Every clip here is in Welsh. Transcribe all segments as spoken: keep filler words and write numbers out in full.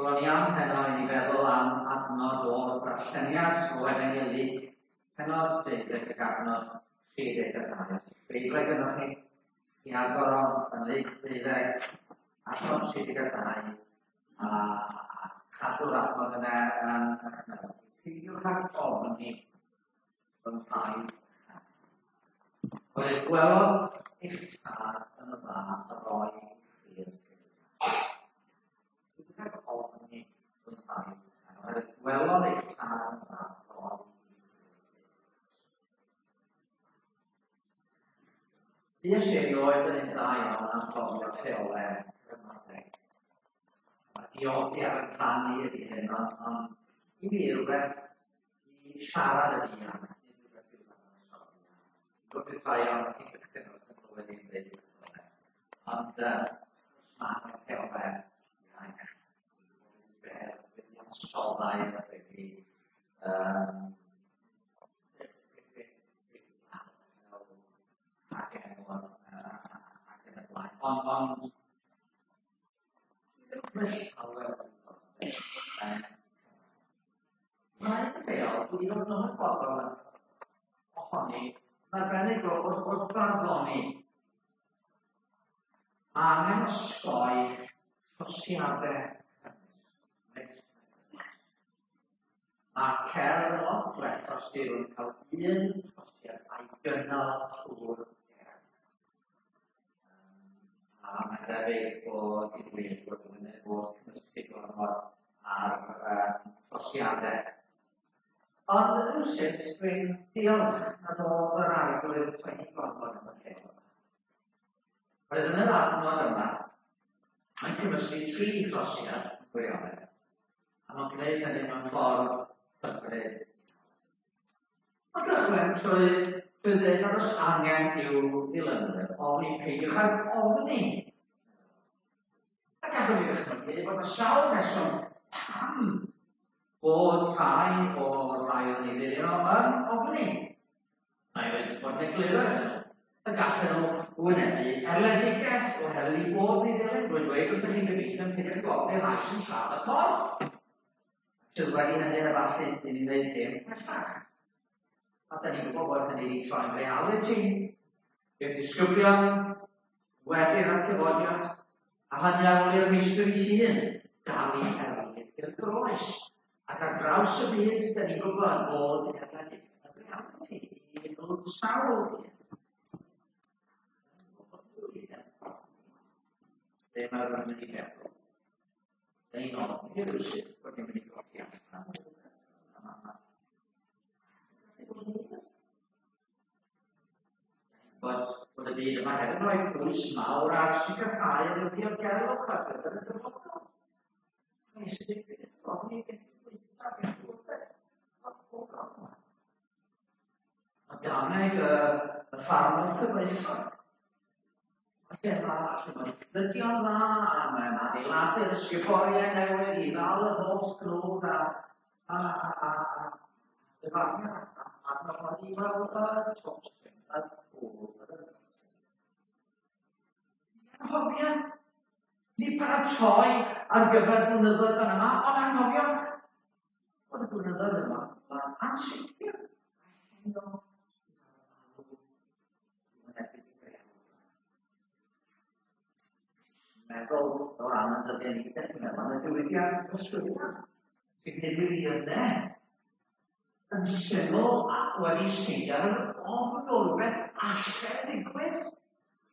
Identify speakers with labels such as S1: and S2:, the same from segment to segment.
S1: Wel, o'n i am heno i ni feddwl am adnod o'r darlleniad o Efengyl Luc, pennod deuddeg ac adnod tri deg a dau. Beiblau gynnwch chi, i agor o yn Luc deuddeg, adnod tri deg a dau, a cadw'r adnod yna yn eich meddwl. Peidiwch ag ofni fy mhaid. Oherwydd gwelodd eich tad yn y dda a roi i chi'r gynulleidfa. Peidiwch ag ofni fy mhaid. Oherwydd gwelodd eich tad yn y dda a roi i chi'r gynulleidfa. Fues i erioed yn un dda iawn am gofio rheolau gramadeg. Mae diogi ar y rhan i ydy hyn, ond, ond i mi rhywbeth i siarad ydy am, nid rhywbeth i'w ddadansoddi. Dwi'n gwybod rhai o'n chi'n cychwyn wrth yn clywed i'n dweud rhywbeth. Ond uh, mae rheolau iaith wedi ansoddau wedi um, ac enw ac yn y blaen. Ond, ond, mae'n rheol, dwi wedi bod yn ymwybodol ohoni, yn arbennig wrth wrth farddoni. Mae angen osgoi trosiadau cymysg. Mae cerdd yn lot gwell os yw yn cael un trosiad a'i gynnal trwy'r gerdd. A mae'n debyg bod i ddweud bod yn bod cymysgu gormod ar um, trosiadau. Ond rywsut dwi'n diolch nad oedd yr Arglwydd poeni gormod am y rheol yma. Roedd yn yr adnod yma, mae'n cymysgu tri throsiad yn gwirionedd, a mae'n gwneud hynny mewn ffordd hyfryd. Mae'n gychwyn trwy trwy ddweud nad oes angen i'w ddilynwyr ofni, peidiwch ag ofni. A gallwn ni ddychmygu bod yna sawl rheswm pam bod rhai o'r rhai oedd yn ei ddilyn o yn ofni. Mae wedi bod yn egluro iddyn nhw y gallen nhw wynebu erledigaeth oherwydd eu bod yn ei ddilyn. Rwy'n dweud wrthych chi'n gobeithio yn peidiwch ag ofni'r rhai sy'n lladd y corff. Sydd wedi hynny efallai i ni wneud dim pellach. A da ni'n gwybod bod hynny wedi troi'n realiti i'r disgyblion wedi'r atgyfodiad, a hynny ar ôl i'r meistr ei hun gael ei erlid i'r groes. Ac ar draws y byd, da ni'n gwybod bod erledigaeth yn realiti i nhw sawl un. Be mae rhywun yn mynd i feddwl? Da ni'n ofni rhywsut bod ni'n mynd i golli allan. Bod, bod y byd yma hefyd yn rhoi pwys mawr ar sicrhau yr diogelwch ar gyfer y dyfodol. Mae sydd wedi ofni beth bwyta, beth bwyta, Mae dameg y, y ffarmwr cyfoethog. Lle mae lle mae'n cnydio'n dda, a mae'n adeiladu'r ysguboriau newydd i ddal yr holl gnwd a a a a a dyfarniad a a a i weld y tostyn y ffwrdd. Anghofio ni paratoi ar gyfer blynyddoedd fan yma, ond anghofio bod y blynyddoedd yma yn ansicr. A heno meddwl o ran y dyddiau ni, beth chi'n meddwl am y diwydiant yswiriant sy'n gwneud miliynau yn syml a wedi seilio ar yr ofn o rywbeth alle ddigwydd.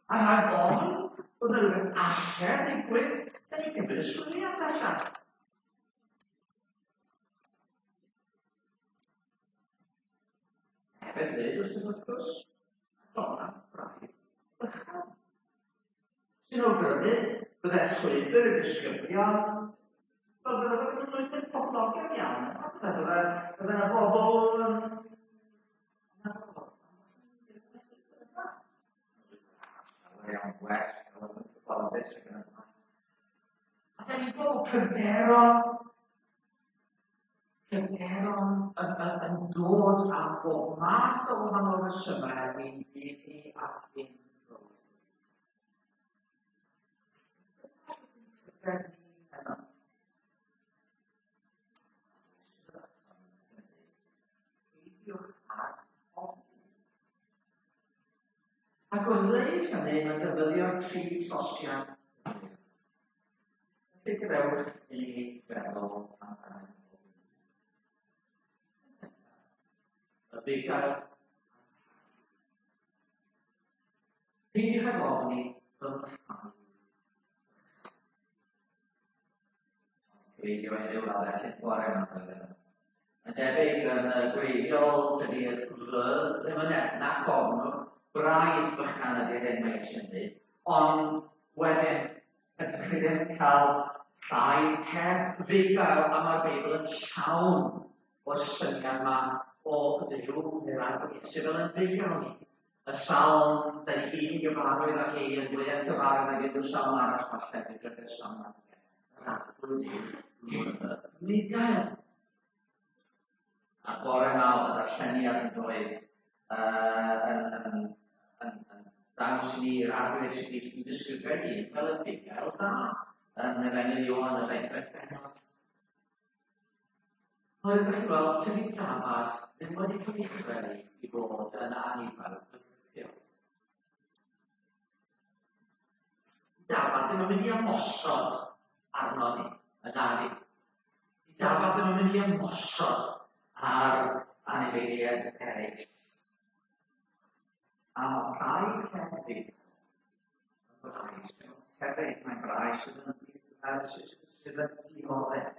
S1: A rhag ofn bod yna rhywbeth alle ddigwydd, da ni'n cymryd yswiriant allan. Hefyd dweud wrth wrth gwrs, dola braidd bychan. Sy'n awgrymu bydde llwybr y disgyblion, fel bydde fe'n llwybr poblogaidd iawn. Bydde bydde bydde yna bobl yn iawn gwell, yn cyfforddus ac yn y blaen. A da ni'n gweld pryderon, pryderon yn, yn, yn dod am bob math o wahanol resymau i'n byd ni ac i'n bywyd. Pryder ni heno. Ac wrth ddweud hynny, mae'n defnyddio'r tri trosiad. Felly gadewch i ni feddwl amdano. Y bugail. Peidiwch ag ofni fy mrhau. Cyfeirio heddiw fel etyn bore yma. Mae'n debyg yn y gwreiddiol, tydi'r r ddim yn nac ofnwch, braidd bychan ydy'r hyn mae eisiau dweud, ond wedyn, ydych chi ddim cael rhai heb fugail, a mae'r Beibl yn llawn o'r syniad yma o Dduw neu'r Arglwydd Iesu fel yn fugail ni. Y salm, da ni gyd yn gyfarwydd â hi, yn fwy gyfarwydd ag unrhyw salm arall falle, dwi'n drydydd salm arall. Yr Arglwydd yw fugail. A bore yma oedd y darlleniad yn dweud uh, yn, yn, yn, yn dangos i ni'r Arglwydd Iesu Grist yn disgrifio ei hun fel y bugail da yn Efengyl Ioan y ddegfed bennod. Ond ydych chi'n gweld, tydi dafad ddim wedi cael ei chreu i fod yn anifail bygythiol. Dafad ddim yn mynd i ymosod arno ni, yn nadi. Dafad ddim yn mynd i ymosod ar anifeiliaid eraill. A mae praidd hefyd, hefyd mae'n braidd sydd yn sydd yn dioddef.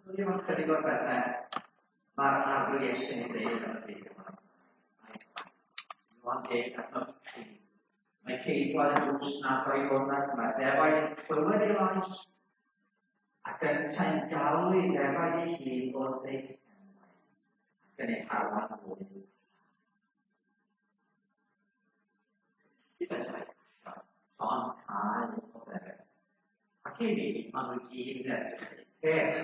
S1: Dwi'n mynd chydig o'r bethau mae'r Arglwydd Iesu'n ei ddeud yn y byd yma. Ioan deg adnod tri. Mae ceidwad y drws yn agor i hwn ac mae'r defaid yn clywed ei lais ac yntau'n galw ei ddefaid ei hun wrth ei henwau ac yn ei harwain hwy. Ond cael o ddefaid. Ac i fi, maen nhw i gyd yn edrych i'r peth.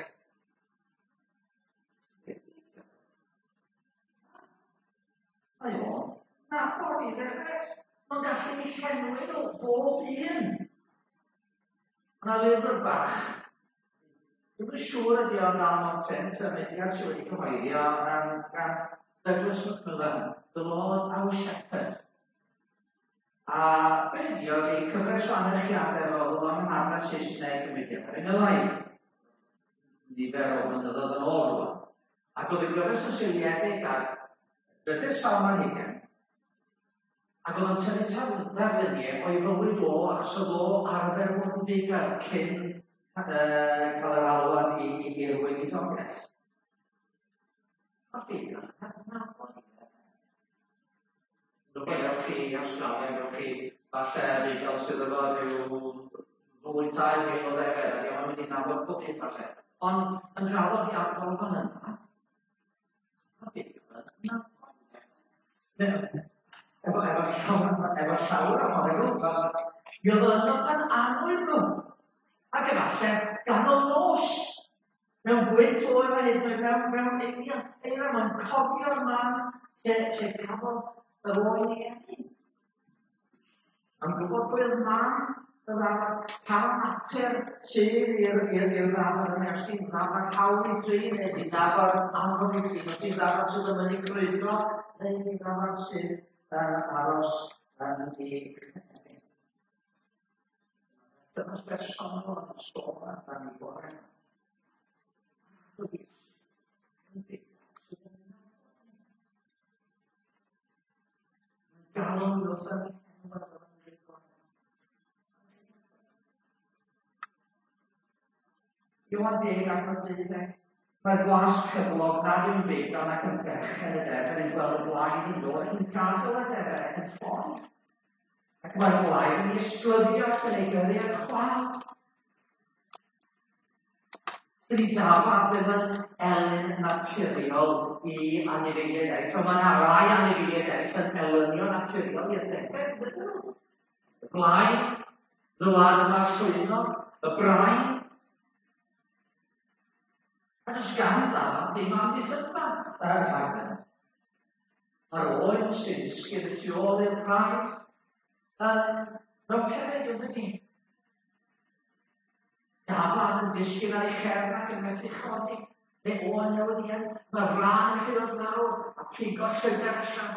S1: Mae o'n nabod i ddefaid. Mae'n gallu ei llenwi nhw bob un. Mae yna lyfr bach. Dwi'm yn siŵr ydy o'n dal mewn print, y mudiad sydd wedi cyhoeddi o um, gan Douglas Macmillan, The Lord Our Shepherd. A be ydy o, ydy cyfres o anerchiadau fel oedd o'n ymhadau Saesneg y mudiad Efengylaidd. Nifer o flynyddoedd yn ôl rwan. Ac oedd y gyfres yn seiliedig ar drydydd salm ar hugain, ac oedd o'n tynnu darluniau o'i fywyd o, achos oedd o arfer fod yn fugail cyn uh, cael yr alwad i, i, i'r weinidogaeth. Ond bugail yn adnabod i Dwi'n ewch chi i Awstralia, ewch chi falle bugail sydd efo rhyw ddwy tair mil o ddefed, ac o'n mynd i nabod pob un falle. Ond yn draddodiadol fan yna, mae bugail yn nabod. Efo, efo llawer, efo llawer ohonyn nhw, mi oedd yno pan annwyl nhw. Ac efallai ganol nos, mewn gwynt oer a hyd yn oed mewn, mewn eira, eira, mae'n cofio'r man lle, lle cafodd yr oen ei eni. Mae'n gwybod pwy oedd mam y ddafad, pa natur sydd i'r i'r i'r ddafad yna, os di'n ddafad hawdd i drin, neu di'n ddafad anodd i drin, os di'n ddafad sydd yn mynd i grwydro, neu di'n ddafad sydd yn aros yn ei chynefin. Dyma'r bersonol yn sôn amdani bore yma. Galw wrth yn Ioan deg adnod deuddeg. Mae'r gwas cyflog nad yw'n fugail ac yn berchen y defed yn gweld y blaidd yn dod ac yn gadael y defed ac yn ffoi. Ac mae'r blaidd yn ei ysglyfio ac yn ei gyrru ar chwâl. Dydy dafad ddim yn elyn naturiol i anifeiliaid eraill, ond mae yna rai anifeiliaid eraill yn elynio naturiol i'r defed, ydyn nhw. Y blaidd, y wlad yma llwynog, y brain. A does gan ddafad ddim amddiffynfa ar rhag hynny. Mae'r oen sy'n disgyn y tu ôl i'r praidd yn mewn peryg yn dydi. Dafad yn disgyn ar ei chefn ac yn methu chodi, neu oen newydd i eni. Mae'r frân yn gallu dod lawr a pigo llygad allan.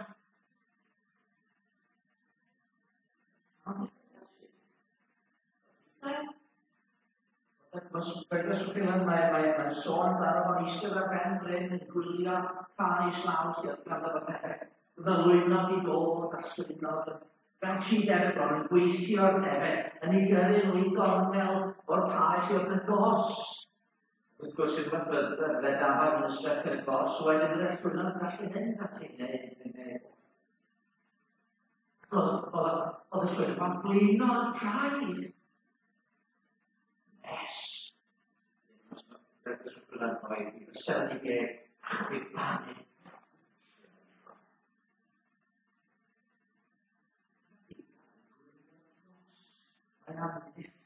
S1: Mae mae mae'n sôn amdano fo'n eistedd ar ben bryn yn gwylio rhai islaw lle oedd ganddo fo defaid. Ddylwynog i ddod a llwynog gan tri defaid bron yn gweithio'r defaid yn ei gyrru nhw i gornel o'r cae lle oedd y gors. Wrth gwrs, unwaith fydde dafad yn ystod y gors, wedyn fydde llwynog yn gallu mynd ati neu neu. Oedd y llwynog yn blino'r praidd. Nes. Chwipanu. Mae'n amddiffyn.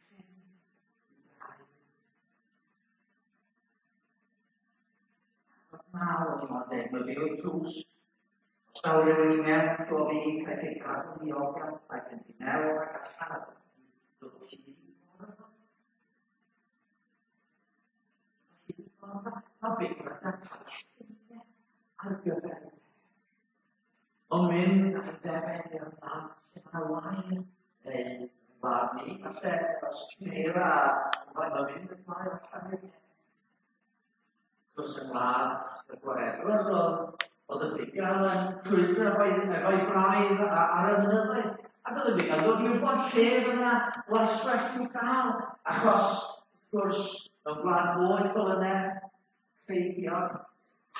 S1: Naw o'n i'n dweud, mae fi o'r drws. Os daw rhywun i mewn trwy fi, caiff ei gadw'n ddiogel, rhaid mynd i mewn ac allan a dod o hyd i ffordd. Mae beth yn cael lluniau ar gyfer. Ond mynd ar ddefed i'r man lle mae wair neu wlad ni, falle os ti'n eira, mae'n mynd y maen allan i'r Gwrs yng ngwlad y gwaredwr oedd oedd y bugail yn crwydro efo'i efo'i braidd ar y mynyddoedd. Ac oedd y bugail dod i wybod lle fydd yna laswellt i'w gael. Achos, wrth gwrs, mewn gwlad boeth fel yna, creigiog,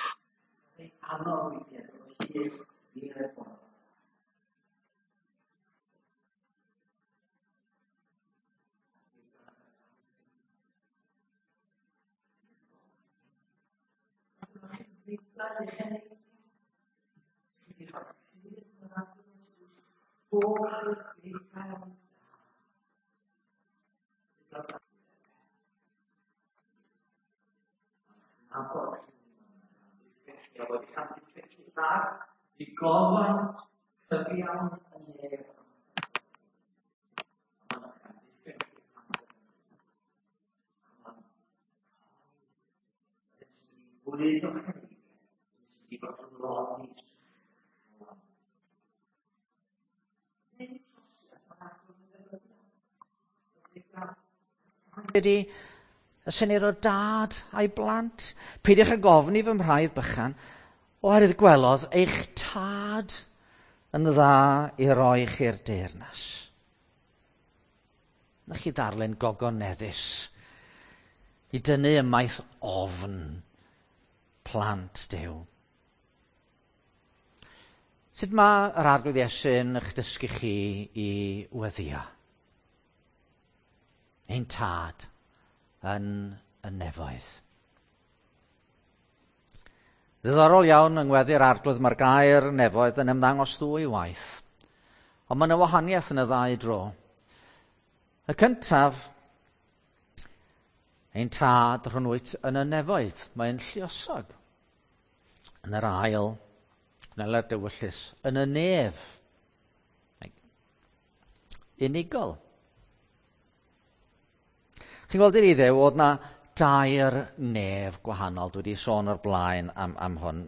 S1: oedd ei anodd weithiau dod o hyd i'r ffordd. I gofaint cyfiawn y nef. Bwyd o'ch i fod yn loni.
S2: Ydy y syniad o dad a'i blant. Peidiwch â gofyn i fy mhraidd bychan, oherwydd gwelodd eich tad yn dda i roi chi'r deyrnas. Na chi ddarllen gogoneddus i dynnu ymaith ofn plant Duw. Sut mae yr Arglwydd Iesu'n eich dysgu chi i weddïo? Ein tad yn y nefoedd. Ddiddorol iawn yng ngweddi'r Arglwydd mae'r gair nefoedd yn ymddangos ddwy waith. Ond mae yna wahaniaeth yn y ddau dro. Y cyntaf, ein tad rhwng wyt yn y nefoedd. Mae'n lluosog. Yn yr ail, Gwneler dywyllus, yn y nef. Unigol. Chi'n gweld i'r Iddew, oedd na dair nef gwahanol. Dwi wedi sôn o'r blaen am, am hwn.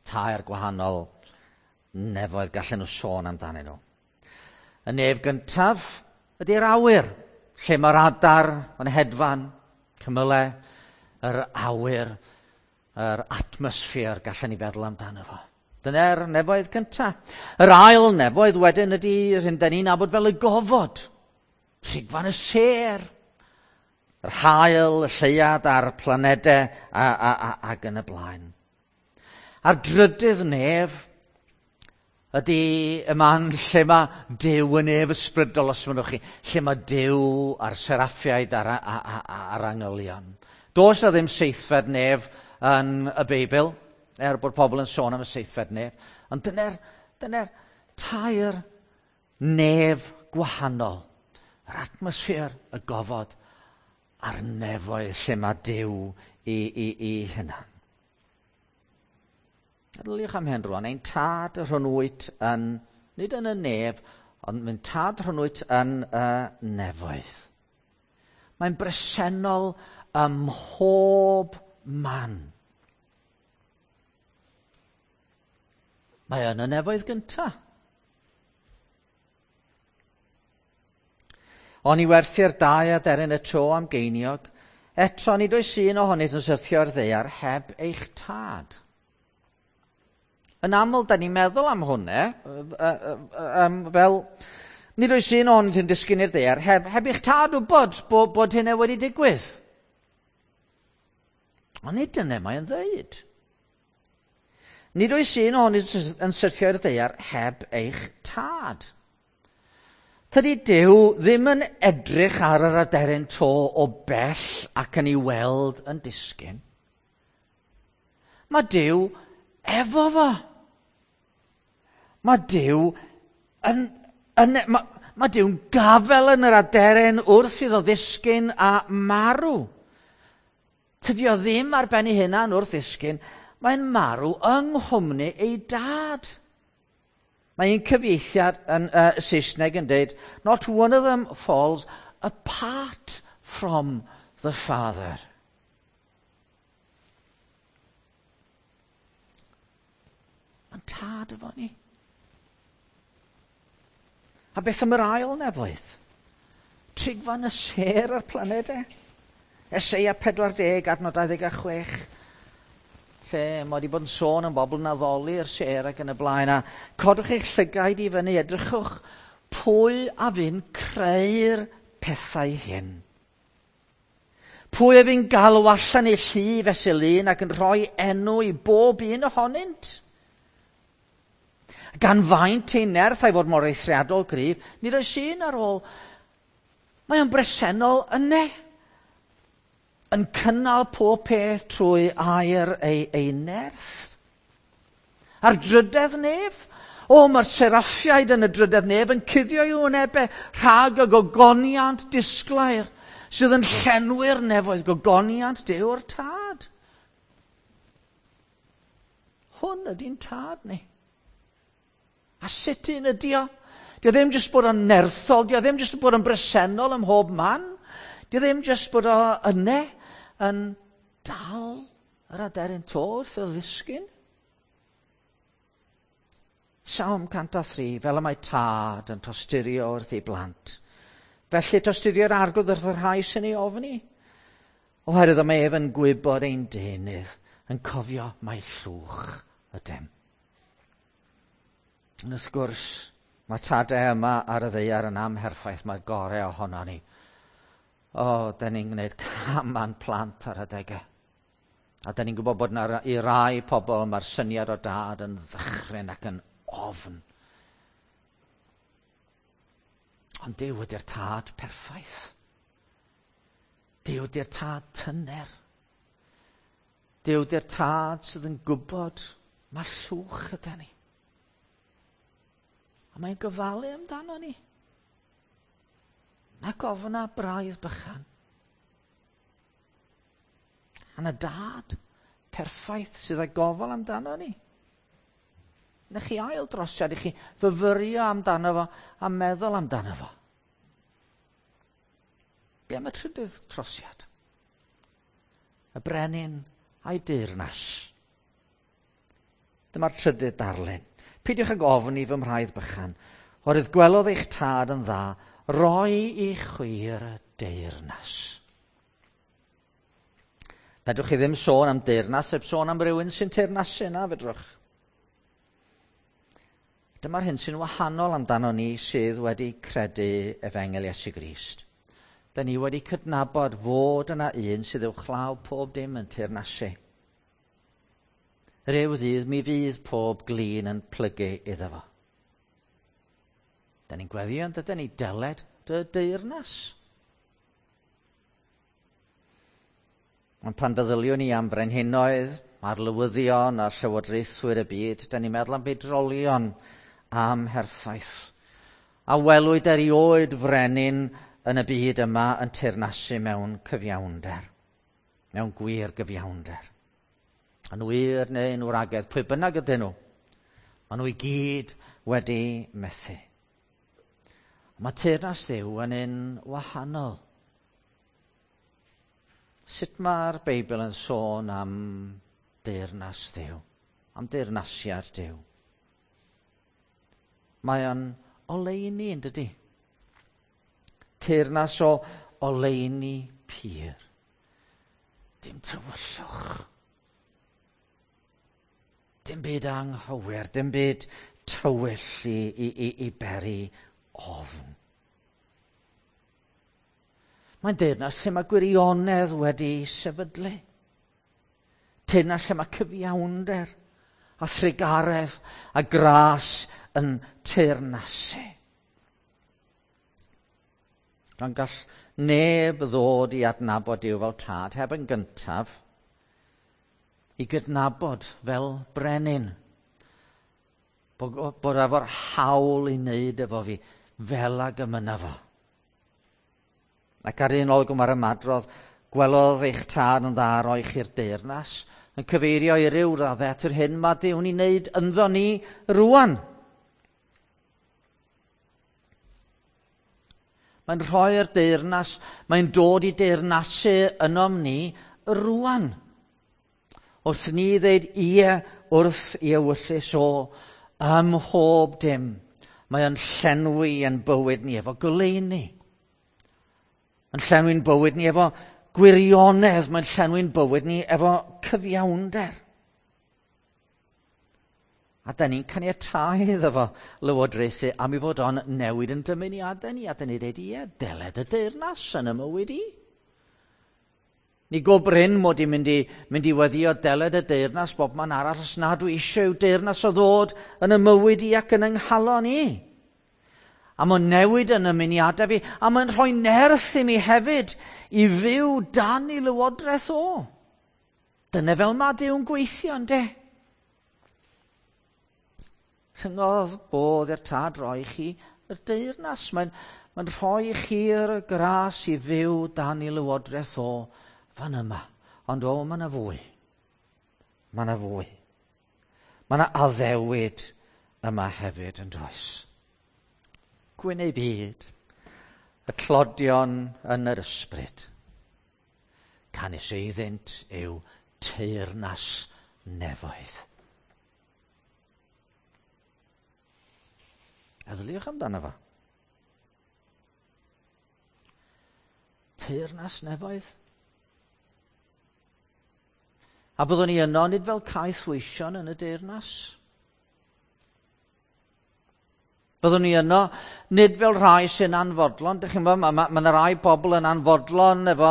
S2: Tair gwahanol nefoedd gallen nhw sôn amdanyn nhw. Y nef gyntaf ydy'r awyr, lle mae'r adar yn hedfan, cymylau, yr awyr, yr atmosffer gallen ni feddwl amdano fo. Dyna'r nefoedd gyntaf. Yr ail nefoedd wedyn ydy yr hyn dan ni'n nabod fel y gofod, trigfan y sêr, yr haul, y lleuad a'r planedau a, a, a, ac yn y blaen. A'r drydydd nef ydy y man lle mae Duw yn nef ysbrydol, os mynnwch chi, lle mae Duw a'r seraffiaid a'r, a'r angylion. Does na ddim seithfed nef yn y Beibl, er bod pobl yn sôn am y seithfed nef. Ond dyna'r, dyna'r tair nef gwahanol. Yr atmosffer, y gofod, a'r nefoedd lle mae Duw i, i, i hunan. Meddyliwch am hyn rwan, ein tad rhwng wyt yn, nid yn y nef, ond mae'n tad rhwng wyt yn y nefoedd. Mae'n bresennol ym mhob man. Mae yn y nefoedd gyntaf. Oni werthu'r dau aderyn y to am geiniog, Eto, nid oes un ohonynt yn syrthio ar ddaear heb eich tad. Yn aml, da ni'n meddwl am hwnna, um, fel, nid oes un ohonynt yn disgyn i'r ddaear heb, heb eich tad wybod bod, bod hynna wedi digwydd. Ond nid dyna mae'n dweud. Nid oes un ohonynt yn syrthio i'r ddaear heb eich tad. Tydi Duw ddim yn edrych ar yr aderyn to o bell ac yn ei weld yn disgyn. Mae Duw efo fo. Mae Duw yn, yn, mae, mae Duw'n gafel yn yr aderyn wrth iddo ddisgyn a marw. Tydi o ddim ar ben ei hunan wrth ddisgyn, mae'n marw yng nghwmni ei dad. Mae un cyfieithiad yn uh, Saesneg yn dweud, "Not one of them falls apart from the Father." Mae'n tad efo ni. A beth am yr ail nefoedd? Trigfan y sêr a'r planedau. Eseia pedwar deg, adnod dau ddeg a chwech, lle mae wedi bod yn sôn am bobl yn addoli'r sêr ac yn y blaen. A codwch eich llygaid i fyny, edrychwch pwy a fu'n creu'r pethau hyn. Pwy a fu'n galw allan ei llu fesul un ac yn rhoi enw i bob un ohonynt? Gan faint ei nerth a'i fod mor eithriadol gryf, nid oes un ar ôl. Mae o'n bresennol yne, yn cynnal pob peth trwy air ei, ei nerth. A'r drydedd nef, o, mae'r seraffiaid yn y drydedd nef yn cuddio i'w wynebau rhag y gogoniant disglair sydd yn llenwi'r nefoedd, gogoniant Duw'r Tad. Hwn ydy'n tad ni. A sut un ydy o? Dio ddim jyst bod o'n nerthol, dio ddim jyst bod o'n bresennol ym mhob man, dio ddim jyst bod o yne yn dal yr aderyn to wrth o ddisgyn. Salm cant a thri, fel y mae tad yn tosturio wrth ei blant. Felly tosturio'r Arglwydd wrth y rhai sy'n ei ofni. Oherwydd mae ef yn gwybod ein deunydd, yn cofio mai llwch ydym. Yn wrth gwrs, mae tadau yma ar y ddaear yn amherffaith, mae'r gorau ohono ni. O, da ni'n gwneud cam â'n plant ar adegau. A da ni'n gwybod bod yna i rai pobl mae'r syniad o dad yn ddychryn ac yn ofn. Ond Duw ydy'r tad perffaith. Duw ydy'r tad tyner. Duw ydy'r tad sydd yn gwybod mae llwch yda ni. A mae'n gofalu amdano ni. Nac ofna braidd bychan. A na dad perffaith sydd â gofal amdano ni. Na chi ail drosiad i chi fyfyrio amdano fo a meddwl amdano fo. Be am y trydydd trosiad? Y brenin a'i deyrnas. Dyma'r trydydd darlun. Peidiwch ag ofni fy mhraidd bychan, oherwydd gwelodd eich tad yn dda, roi i chwi'r deyrnas. Fedrwch chi ddim sôn am deyrnas, heb sôn am rywun sy'n teyrnasu na, fedrwch. Dyma'r hyn sy'n wahanol amdano ni sydd wedi credu Efengyl Iesu Grist. Da ni wedi cydnabod fod yna un sydd uwchlaw pob dim yn teyrnasu. Ryw ddydd mi fydd pob glin yn plygu iddo fo. Da ni'n gweddio yn dydyn ni deled dy deyrnas. Ond pan feddyliwn ni am frenhinoedd, a'r lywyddion a'r llywodraethwyr y byd, da ni'n meddwl am bedrolion am herffaith. A welwyd erioed frenin yn y byd yma yn teyrnasu mewn cyfiawnder, mewn gwir gyfiawnder. Yn wir neu'n wragedd, pwy bynnag ydyn nhw, maen nhw i gyd wedi methu. Mae teyrnas Dduw yn un wahanol. Sut mae'r Beibl yn sôn am deyrnas Dduw, am deyrnasiad Duw? Mae o'n oleuni, yn dydi? Teyrnas o oleuni pur. Dim tywyllwch. Dim byd anghywir, dim byd tywyll i, i, i, i beri ofn. Mae'n deyrnas lle mae gwirionedd wedi sefydlu. Teyrnas lle mae cyfiawnder a thrugaredd a gras yn teyrnasu. Ond gall neb ddod i adnabod Duw fel tad heb yn gyntaf i gydnabod fel brenin. Bod, bod efo'r hawl i wneud efo fi fel ag y mynna fo. Ac ar un olwg mae'r ymadrodd, gwelodd eich tad yn dda roi chi'r deyrnas, yn cyfeirio i ryw raddau at yr hyn mae Duw'n ei wneud ynddo ni rwan. Mae'n rhoi'r deyrnas, mae'n dod i deyrnasu ynom ni rwan. Wrth ni ddeud ie wrth i ewyllys o ym mhob dim, mae o'n llenwi yn bywyd ni efo goleuni. Yn llenwi'n bywyd ni efo gwirionedd, mae'n llenwi'n bywyd ni efo cyfiawnder. A da ni'n caniatáu iddo fo lywodraethu am i fod o'n newid yn dymuniadau ni, a da ni'n dweud, ie, deled y deyrnas yn y mywyd i. Ni go brin mod i'n mynd i, mynd i weddio deled y deyrnas bob man arall os nad dwi eisiau i'w deyrnas o ddod yn y mywyd i ac yn yng nghalon i. A mae'n newid yn ymuniadau fi, a mae'n rhoi nerth i mi hefyd i fyw dan i lywodraeth o. Dyna fel mae Duw'n gweithio, ynde? Rhyngodd bodd i'r tad roi chi y deyrnas. Mae'n, mae'n rhoi chi'r gras i fyw dan i lywodraeth o fan yma. Ond o, mae yna fwy. Mae yna fwy. Mae yna addewid yma hefyd yn does. Gwyn eu byd, y tlodion yn yr ysbryd. Canys eiddynt yw teyrnas nefoedd. Eddyliwch amdano fo. Teyrnas nefoedd. A byddwn ni yno nid fel caethweision yn y deyrnas. Byddwn ni yno nid fel rhai sy'n anfodlon. Dych chi'n gwybod, mae ma, ma yna rai bobl yn anfodlon efo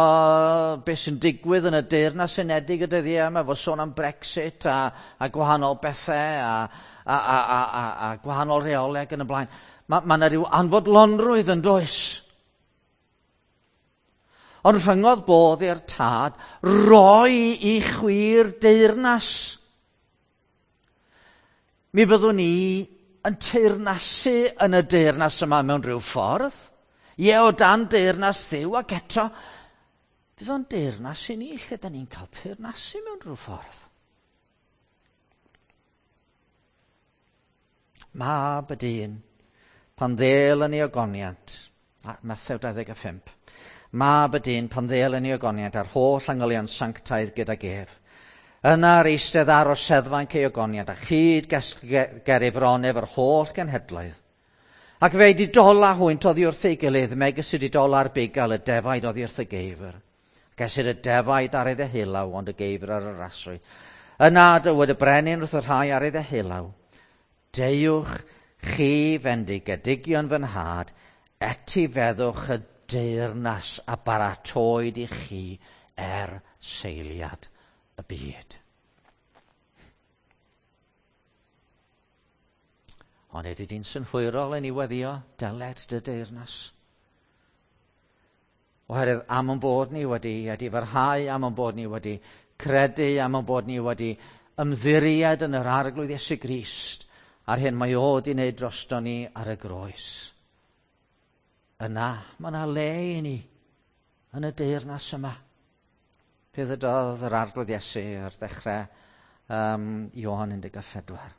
S2: beth sy'n digwydd yn y Deyrnas Unedig y dyddiau yma, efo sôn am Brexit a, a gwahanol bethau a, a, a, a, a, a gwahanol reolau ac yn y blaen. Mae ma yna rhyw anfodlonrwydd yn does. Ond rhyngodd bodd i'r tad roi i chwi'r deyrnas. Mi fyddwn ni yn teyrnasu yn y deyrnas yma mewn rhyw ffordd. Ie, o dan deyrnas Dduw, ac eto, fydd o'n deyrnas i ni lle da ni'n cael teyrnasu mewn rhyw ffordd. Mab y dyn, pan ddêl yn ei ogoniant, Mathew dau ddeg a phump, mab y dyn pan ddêl yn ei ogoniant a'r holl angylion sanctaidd gydag ef. Yna'r eistedd ar oseddfainc ei ogoniant a chyd ger ei fron ef yr holl genhedloedd. Ac fe'i didola hwynt oddi wrth ei gilydd, megis y didola'r bugail y defaid oddi wrth y geifr. Gesir y defaid ar ei ddeheullaw, ond y geifr ar yr aswy. Yna dywed y brenin wrth y rhai ar ei ddeheullaw, deuwch chi fendigedigion fy nhad, etifeddwch y deyrnas a baratoed i chi er seiliad y byd. Ond ydy di'n synhwyrol yn ei weddio deled dy deyrnas? Oherwydd am ein bod ni wedi edifarhau, am ein bod ni wedi credu, am ein bod ni wedi ymddiried yn yr Arglwydd Iesu Grist, a'r hyn mae o wedi wneud drosto ni ar y groes. Yna, mae yna le i ni yn y deyrnas yma. Fe ddydodd yr Arglwydd Iesu ar ddechrau um, Ioan un deg a phedwar.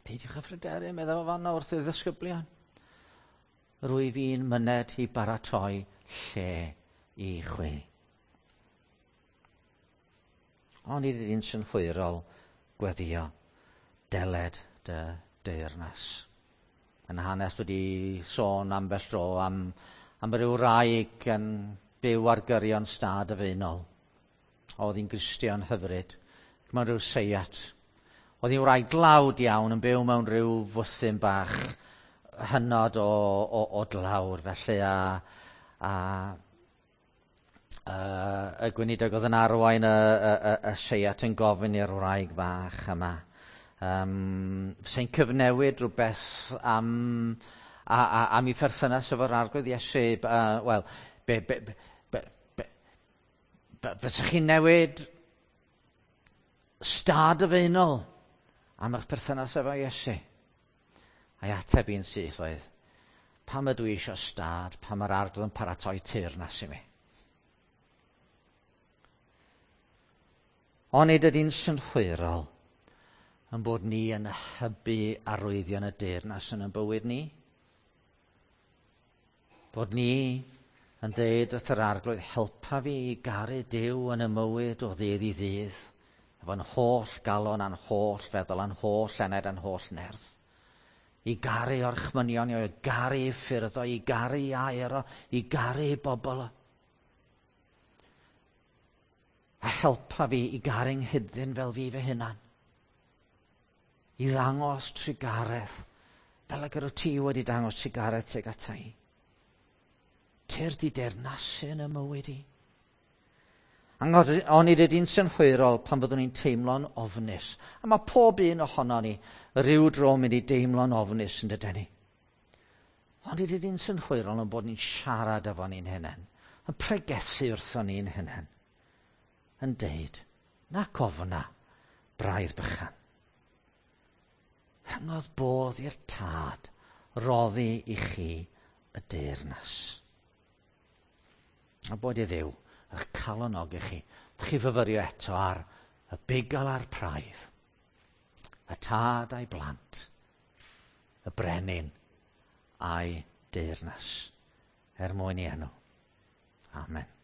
S2: Peidiwch â phryderu, meddai fo fan'na wrth y ddisgyblion. Rwyf i'n myned i baratoi lle i chwi. Ond nid ydy'n synhwyrol gweddio deled dy deyrnas. Yn hanes wedi sôn ambell dro am, am ryw wraig yn byw ar gyrion stad y Faenol. Oedd hi'n Gristion hyfryd, mewn rhyw seiat. Oedd hi'n wraig dlawd iawn yn byw mewn rhyw fwthyn bach hynod o, o, o dlawr. Felly a, a, a y gweinidog oedd yn arwain y, y, y, y seiat yn gofyn i'r wraig fach yma. Um, Fysa'n cyfnewid rhywbeth am, a, a, am ei pherthynas efo'r Arglwydd Iesu. Uh, Wel, be, be, be, be, be, be, fysach chi'n newid stad y Faenol am eich perthynas efo Iesu? A'i ateb i'n syth oedd, pam ydw i eisiau stad, pam mae'r Arglwydd yn paratoi teyrnas i mi? Onid ydy'n synhwyrol yn bod ni yn hybu arwyddion y deyrnas yn ein bywyd ni? Bod ni yn deud wrth yr Arglwydd, helpa fi i garu Duw yn y mywyd o ddydd i ddydd, efo'n holl galon a'n holl feddwl a'n holl enaid a'n holl nerth. I garu orchmynion, i garu ffyrdd o, i garu air o, i garu bobl o. A helpa fi i garu 'nghydyn fel fi fy hunan. I ddangos trugaredd, fel ag yr wyt ti wedi dangos trugaredd tuag ata i. Tyrd i deyrnasu yn y mywyd i. Onid ydy'n synhwyrol pan fyddwn ni'n teimlo'n ofnus. A mae pob un ohono ni ryw dro mynd i deimlo'n ofnus yn dydyn ni. Onid ydy'n synhwyrol yn bod ni'n siarad efo ni'n hunain, yn pregethu wrtho ni'n hunain, yn deud, nac ofna, braidd bychan. Rhyngodd bodd i'r tad roddi i chi y deyrnas. A bod i Dduw eich calonogi chi. Dych chi fyfyrio eto ar y bugail a'r praidd, y tad a'i blant, y brenin a'i deyrnas, er mwyn i enw. Amen.